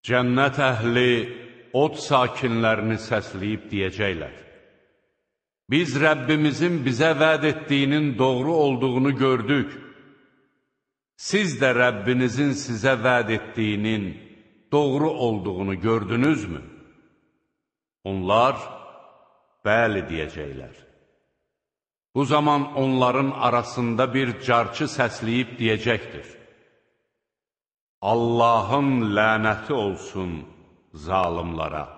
Cənnət əhli od sakinlərini səsləyib deyəcəklər: Biz Rəbbimizin bizə vəd etdiyinin doğru olduğunu gördük. Siz də Rəbbinizin sizə vəd etdiyinin doğru olduğunu gördünüzmü? Onlar, bəli deyəcəklər. Bu zaman onların arasında bir carçı səsləyib deyəcəkdir: Allahın lənəti olsun zalimlara.